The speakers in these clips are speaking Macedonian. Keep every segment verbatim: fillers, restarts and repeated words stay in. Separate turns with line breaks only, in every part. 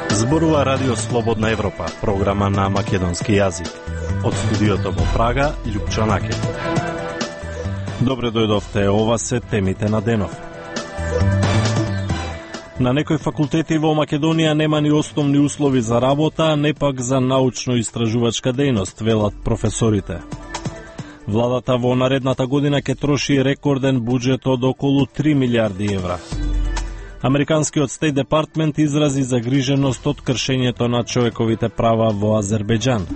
Зборува Радио Слободна Европа, програма на македонски јазик. Од студиото во Прага, Љупчо Накет. Добре дојдовте, ова се темите на денов. На некои факултети во Македонија нема ни основни услови за работа, не пак за научно-истражувачка дејност, велат професорите. Владата во наредната година ќе троши рекорден буџет од околу три милиарди евра. Американскиот Стейт Департмент изрази загриженост од кршењето на човековите права во Азербејџан.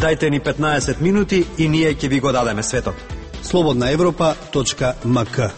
Дајте ни петнаесет минути и ние ќе ви го дадеме светот.
слободна европа точка ем ка.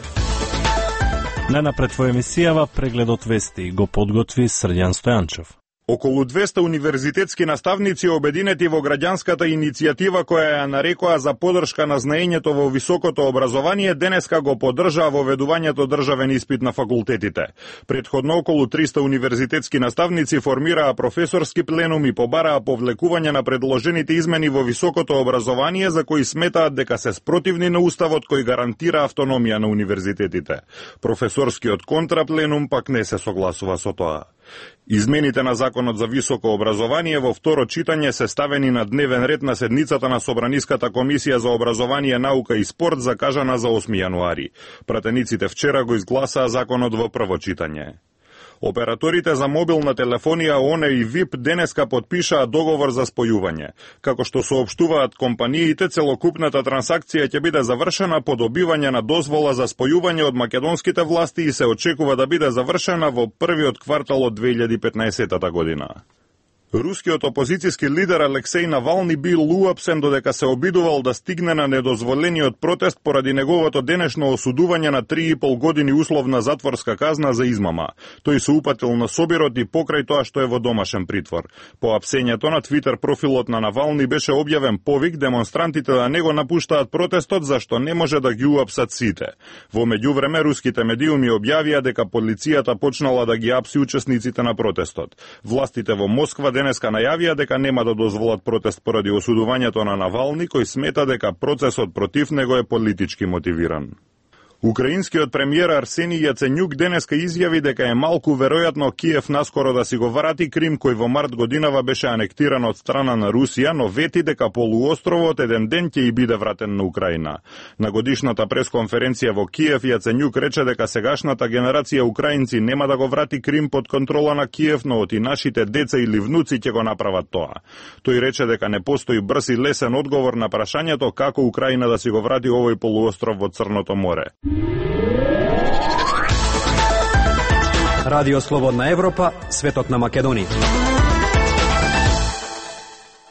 Најнапред во емисијава прегледот вести го подготви Срđan Стојанчев.
Околу двеста универзитетски наставници обединети во граѓанската иницијатива која ја нарекоа за подршка на знаењето во високото образование, денеска го поддржаа воведувањето државен испит на факултетите. Претходно околу триста универзитетски наставници формираа професорски пленум и побараа повлекување на предложените измени во високото образование за кои сметаат дека се спротивни на уставот кој гарантира автономија на универзитетите. Професорскиот контрапленум пак не се согласува со тоа. Измените на Законот за високо образование во второ читање се ставени на дневен ред на седницата на Собраниската комисија за образование, наука и спорт закажана за осми јануари. Пратениците вчера го изгласаа законот во прво читање. Операторите за мобилна телефонија ОНЕ и ВИП денеска подпишаа договор за спојување. Како што соопштуваат компаниите, целокупната трансакција ќе биде завршена по добивање на дозвола за спојување од македонските власти и се очекува да биде завршена во првиот квартал од две илјади и петнаесета година. Рускиот опозицијски лидер Алексеј Навални бил уапсен додека се обидувал да стигне на недозволениот протест поради неговото денешно осудување на три и пол години условна затворска казна за измама. Тој се упатил на собирот и покрај тоа што е во домашен притвор. По апсењето на Твитер профилот на Навални беше објавен повик демонстрантите да не го напуштаат протестот зашто не може да ги уапсат сите. Во меѓувреме руските медиуми објавија дека полицијата почнала да ги апси учесниците на протестот. Властите во Москва денеска најавија дека нема да дозволат протест поради осудувањето на Навални, кој смета дека процесот против него е политички мотивиран. Украинскиот премиер Арсени Јаценјук денеска изјави дека е малку веројатно Киев наскоро да си го врати Крим, кој во март годинава беше анектиран од страна на Русија, но вети дека полуостровот еден ден ќе и биде вратен на Украина. На годишната пресконференција во Киев Јаценјук рече дека сегашната генерација украинци нема да го врати Крим под контрола на Киев, но оти нашите деца или внуци ќе го направат тоа. Тој рече дека не постои брз и лесен одговор на прашањето како Украина да си го врати овој полуостров во Црното море.
Радио Слободна Европа, светот на Македонија.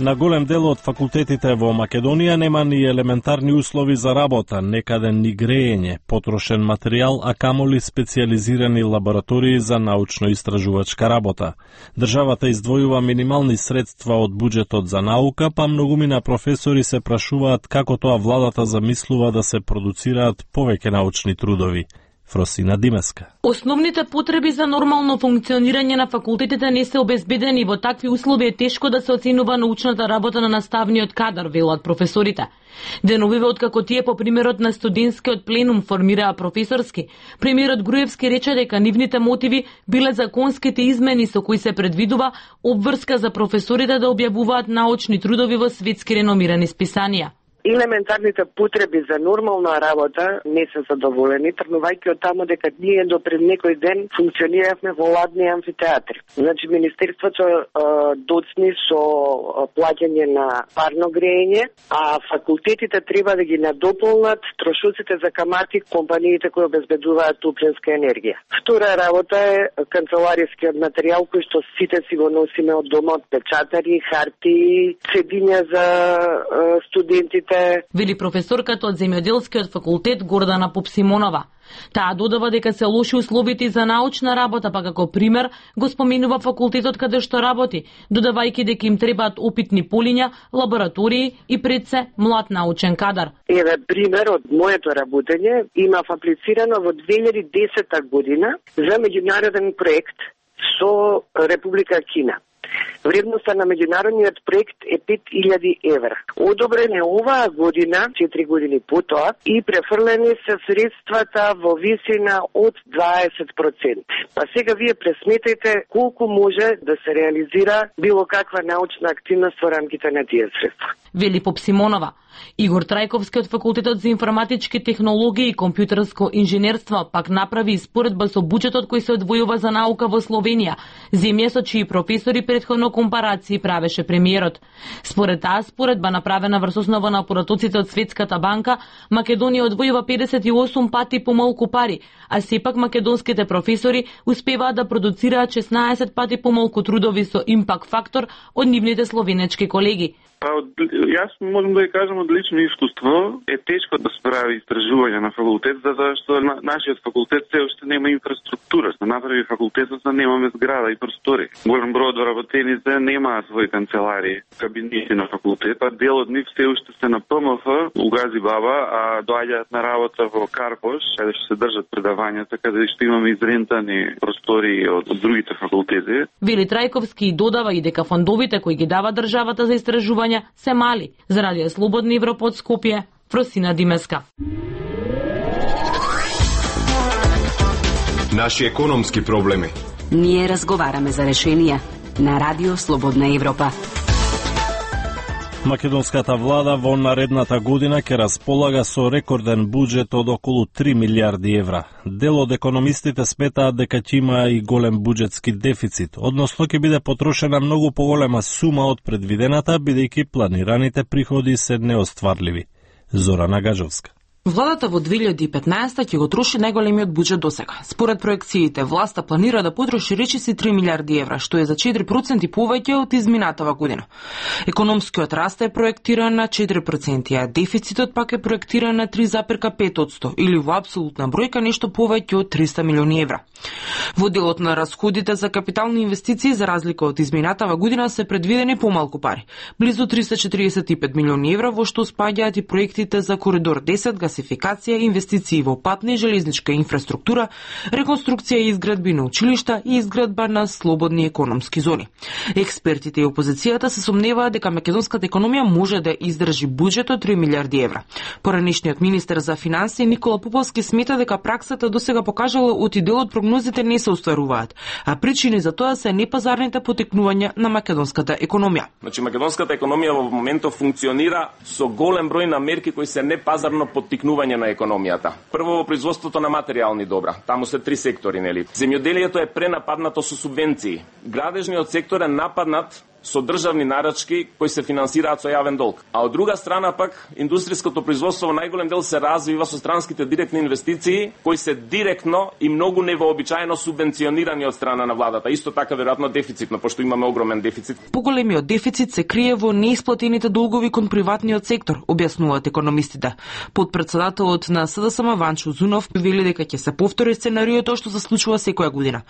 На голем дел од факултетите во Македонија нема ни елементарни услови за работа, некаде ни грејење, потрошен материјал, а камоли специјализирани лаборатории за научно-истражувачка работа. Државата издвојува минимални средства од буџетот за наука, па многумина професори се прашуваат како тоа владата замислува да се продуцираат повеќе научни трудови. Фросина Димеска.
Основните потреби за нормално функционирање на факултетите не се обезбедени. Во такви услови е тешко да се оценува научната работа на наставниот кадар, велат професорите. Деновиве откако тие по примерот на студентскиот пленум формираа професорски, премиерот Груевски рече дека нивните мотиви биле законските измени со кои се предвидува обврска за професорите да објавуваат научни трудови во светски реномирани списанија.
Елементарните потреби за нормална работа не се задоволени, тргнувајќи од тамо дека ние до пред некој ден функциониравме во ладни амфитеатри. Значи, Министерството е, доцни со плаќање на парно грејење, а факултетите треба да ги надополнат трошоците за камати компаниите кои обезбедуваат топлинска енергија. Втора работа е канцеларискиот материјал кој што сите си го носиме од дома, од печатари, хартии, цедиња за е, студентите.
Вели професорката од земјоделскиот факултет Гордана Попсимонова. Таа додава дека се лоши условите за научна работа, па како пример го споменува факултетот каде што работи, додавајќи дека им требаат опитни полиња, лаборатории и пред се млад научен кадар.
Еве пример од моето работење, имав аплицирано во две илјади и десета година за меѓународен проект со Република Кина. Вредноста на меѓународниот проект е пет илјади евра. Одобрен е оваа година, четири години потоа, и префрлени се средствата во висина од дваесет проценти. Па сега вие пресметете колку може да се реализира било каква научна активност во рамките на тие средства.
Вели Поп Симонова. Игор Трајковски од Факултетот за информатички технологии и компјутерско инженерство пак направи испоредба со буџетот кој се одвојува за наука во Словенија, земја со чии професори претходно компарации правеше премиерот. Според таа споредба направена врз основа на поратоците од Светската банка, Македонија одвојува педесет и осум пати помалку пари, а сепак македонските професори успеваат да продуцираат шеснаесет пати помалку трудови со импакт фактор од нивните словенечки колеги.
Па, јас можам да ја кажам од лично искуство, е тешко да се прави истражување на факултет, затоа што на, нашиот факултет се уште нема инфраструктура. За направи факултетот, немаме зграда и простори. Голем број од вработените немаат своји канцеларии, кабинети на факултета. Дел од нив се уште се на П М Ф, у Гази Баба, а доаѓаат на работа во Карпош, каде што се држат предавањата, каде што имаме изрентани простори од, од другите факултети.
Вели Трајковски и додава и дека фондовите кои ги дава државата за истражување се мали. За Радио Слободна Европа од Скопје, Фросина Димеска.
Наши економски проблеми.
Ние разговараме за решенија на Радио Слободна Европа.
Македонската влада во наредната година ќе располага со рекорден буџет од околу три милијарди евра. Дел од економистите сметаат дека ќе има и голем буџетски дефицит, односно ќе биде потрошена многу поголема сума од предвидената, бидејќи планираните приходи се неостварливи. Зорана Гажовска.
Владата во две илјади и петнаесета ќе го троши најголемиот буџет досега. Според проекциите, власта планира да потроши речиси три милијарди евра, што е за четири проценти повеќе од изминатава година. Економскиот раст е проектиран на четири проценти, а дефицитот пак е проектиран на три запирка пет одсто, или во апсолутна бројка нешто повеќе од триста милиони евра. Во делот на расходите за капитални инвестиции, за разлика од изминатава година, се предвидени помалку пари, близу триста четиридесет и пет милиони евра, во што спаѓаат и проектите за Коридор десет, гасификација, инвестиции во патна и железничка инфраструктура, реконструкција и изградби на училишта и изградба на слободни економски зони. Експертите и опозицијата се сомневаат дека македонската економија може да издржи буџет од три милијарди евра. Поранешниот министер за финансии Никола Поповски смета дека праксата досега покажала оти дел од прогнозите не се остваруваат, а причини за тоа се непазарните потекнувања на македонската економија.
Значи македонската економија во моментот функционира со голем број на мерки кои се непазарно поттикнување на економијата. Прво во производството на материјални добра. Таму се три сектори, нели? Земјоделието е пренападнато со субвенции. Градежниот сектор е нападнат со државни нарачки кои се финансираат со јавен долг. А од друга страна пак индустријското производство во најголем дел се развива со странските директни инвестиции кои се директно и многу невообичаено субвенционирани од страна на владата. Исто така веројатно дефицитно, пошто имаме огромен дефицит.
Поголемиот дефицит се крие во неисплатените долгови кон приватниот сектор, објаснуваат економистите. Подпредседателот на С Д С М Ванчо Зунов вели дека ќе се повтори сценариото што се случува секоја година.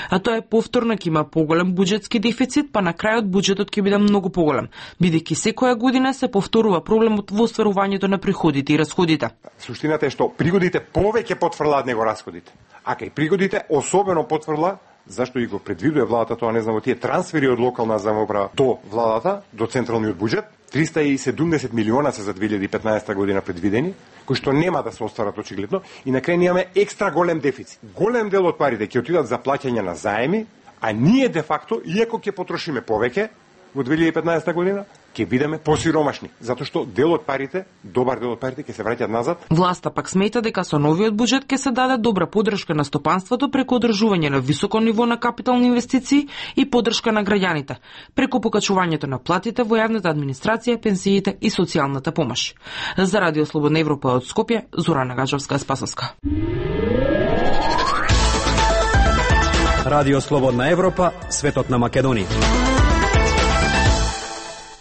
А тоа е повторно ќе има поголем буџетски дефицит, па на крајот буџетот ќе биде многу поголем, бидејќи секоја година се повторува проблемот во остварувањето на приходите и расходите.
Суштината е што приходите повеќе потврлаат него расходите, а кај приходите особено потврла, зашто и го предвидува владата, тоа не знам, тие трансфери од локална самоуправа до владата, до централниот буџет, триста и седумдесет милиона се за две илјади и петнаесета година предвидени, кои што нема да се остварат очигледно, и на крај имаме екстра голем дефицит. Голем дел од парите ќе отидат за плаќање на заеми, а ние де факто, иако ќе потрошиме повеќе во две илјади и петнаесета година, ќе бидеме посиромашни, затоа што дел од парите, добар дел од парите ќе се враќаат назад.
Власта пак смета дека со новиот буџет ќе се даде добра поддршка на стопанството преку одржување на високо ниво на капитални инвестиции и поддршка на граѓаните, преку покачувањето на платите во јавната администрација, пенсиите и социјалната помош. За Радио Слободна Европа од Скопје, Зорана Гажовска Спасовска.
Радио Слободна Европа, светот на Македонија.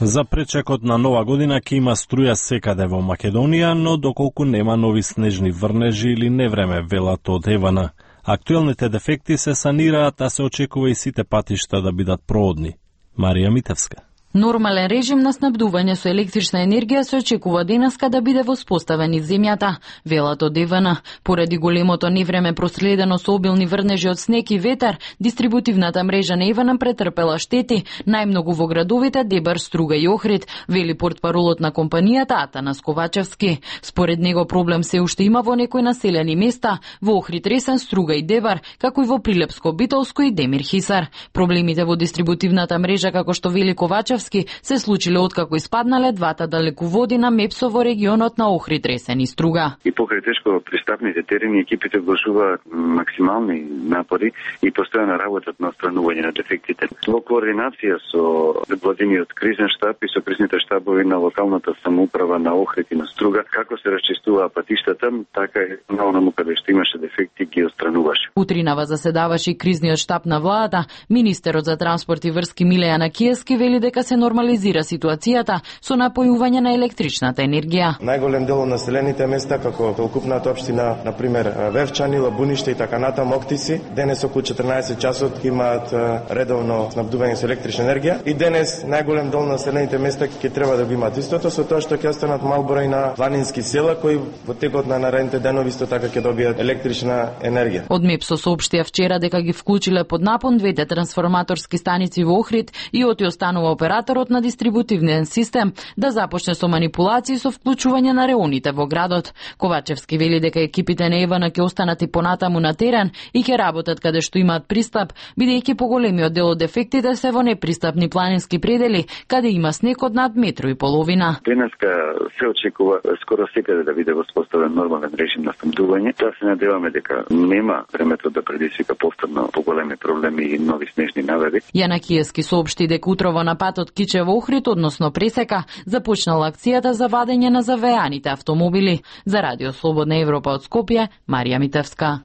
За пречекот на нова година ќе има струја секаде во Македонија, но доколку нема нови снежни врнежи или невреме, велат од Евана. Актуелните дефекти се санираат, а се очекува и сите патишта да бидат проодни. Марија Митевска.
Нормален режим на снабдување со електрична енергија се очекува денеска да биде воспоставен из земјата, велат од Е В Н. Поради големото невреме проследено со обилни врнежи од снег и ветар, дистрибутивната мрежа на Е В Н претрпела штети, најмногу во градовите Дебар, Струга и Охрид, вели портпаролот на компанијата Атанас Ковачевски. Според него проблем се уште има во некои населени места, во Охрид, Ресен, Струга и Дебар, како и во Прилепско, Битолско и Демир Хисар. Проблемите во дистрибутивната мрежа, како што вели Ковачевски, се случиле откако испаднале двата далеководи на МЕПСО во регионот на Охрид, Ресен и Струга.
И покрај тешко пристапните терени екипите вложуваат максимални напори и постојано работат на отстранување на дефектите. Во координација со владиниот кризен штаб и со кризните штабови на локалната самоуправа на Охрид и на Струга, како се расчистуваа патиштата, така и на онаму каде што имаше дефекти ги отстрануваше.
Утринава заседаваше и кризниот штаб на владата. Министерот за транспорт и врски Миле Јанакиевски вели дека се нормализира ситуацијата со напојување на електричната енергија.
Најголем дел од населените места, како целокупната општина, на пример Вевчани, Лабуниште и така натаму Октиси, денес околу четрнаесет часот имаат редовно снабдување со електрична енергија и денес најголем дел на населените места ќе треба да го имаат истото, со тоа што ќе останат мал број на планински села кои во текот на наредните денови исто така ќе добијат електрична енергија.
Од МЕПСО соопштија вчера дека ги вклучиле под напон двете трансформаторски станици во Охрид и оти останува операторот на дистрибутивниот систем да започне со манипулации со вклучување на реоните во градот. Ковачевски вели дека екипите на Е В Н ќе останат и понатаму на терен и ќе работат каде што имаат пристап, бидејќи поголемиот дел од дефектите се во непристапни планински предели, каде има снег од над метро и половина.
Денеска се очекува скоро секаде да биде воспоставен нормален режим на снабдување. Тоа се надеваме дека нема времето да предизвика повторно поголеми проблеми и нови снежни наведи.
Јанакиевски соопшти дека утрово на патот Кичево Охрид, односно Пресека, започнала акцијата за вадење на завеаните автомобили. За Радио Слободна Европа од Скопје, Марија Митевска.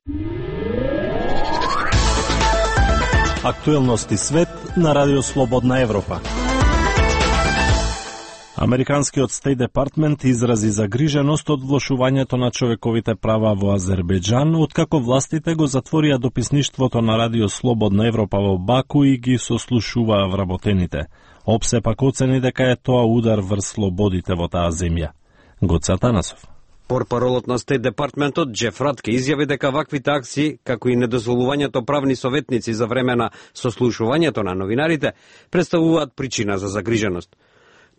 Актуелности свет на Радио Слободна Европа. Американскиот Стейт Департмент изрази загриженост од влошувањето на човековите права во Азербејџан, откако властите го затворија дописништвото на Радио Слободна Европа во Баку и ги сослушуваа вработените. Опсе пак оцени дека е тоа удар врз слободите во таа земја. Гоце Атанасов.
Портпаролот на Стейт Департментот Джеф Ратке изјави дека ваквите акции, како и недозволувањето правни советници за време на сослушувањето на новинарите, представуваат причина за загриженост.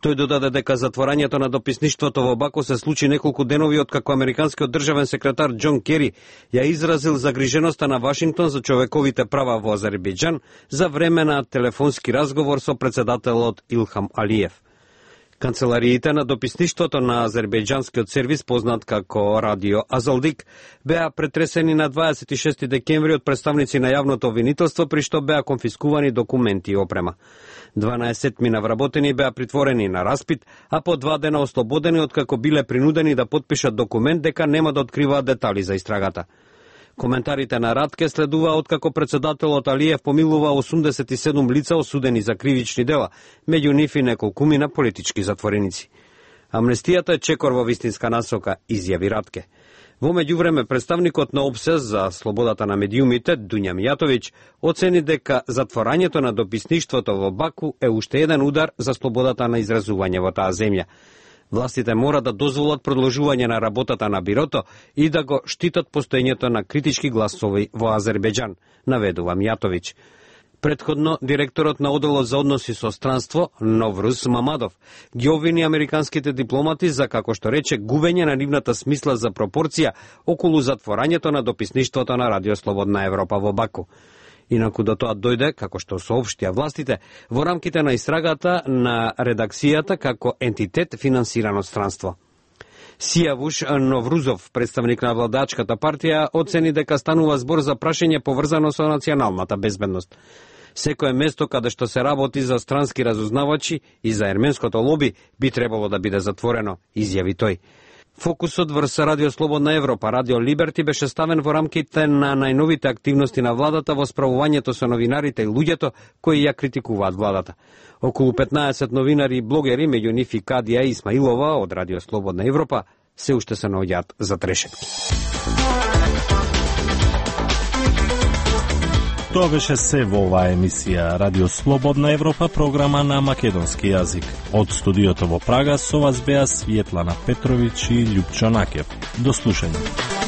Тој додаде дека затворањето на дописништвото во Баку се случи неколку денови откако американскиот државен секретар Џон Кери ја изразил загриженоста на Вашингтон за човековите права во Азербејџан за време на телефонски разговор со председателот Илхам Алиев. Канцелариите на дописништвото на азербејџанскиот сервис, познат како Радио Азалдик, беа претресени на дваесет и шести декември од представници на јавното обвинителство, при што беа конфискувани документи и опрема. дванаесет мина вработени беа притворени на распит, а по два дена ослободени откако биле принудени да потпишат документ дека нема да откриваат детали за истрагата. Коментарите на Ратке следува откако председателот Алиев помилува осумдесет и седум лица осудени за кривични дела, меѓу нив и неколкумина политички затвореници. Амнестијата е чекор во вистинска насока, изјави Ратке. Во меѓувреме, представникот на ОПСЕ за слободата на медиумите, Дуња Мијатовиќ, оцени дека затворањето на дописништвото во Баку е уште еден удар за слободата на изразување во таа земја. Властите мора да дозволат продолжување на работата на бирото и да го штитат постоењето на критички гласови во Азербејџан, наведува Мијатовиќ. Предходно, директорот на Оделот за односи со странство, Новруз Мамадов, ги обвини американските дипломати за, како што рече, губење на нивната смисла за пропорција околу затворањето на дописништвото на Радио Слободна Европа во Баку. Инаку до тоа дојде, како што соопштија властите, во рамките на истрагата на редакцијата како ентитет финансиран од странство. Сијавуш Новрузов, представник на владачката партија, оцени дека станува збор за прашање поврзано со националната безбедност. Секое место каде што се работи за странски разузнавачи и за ерменското лоби би требало да биде затворено, изјави тој. Фокусот врз Радио Слободна Европа, Радио Либерти, беше ставен во рамките на најновите активности на владата во справувањето со новинарите и луѓето кои ја критикуваат владата. Околу петнаесет новинари и блогери, меѓу нив и Кадија Исмаилова од Радио Слободна Европа, се уште се наоѓаат за трешетки.
Тоа беше се во оваа емисија Радио Слободна Европа, програма на македонски јазик. Од студиото во Прага со вас беа Светлана Петровиќ и Љупчо Накев. До слушање.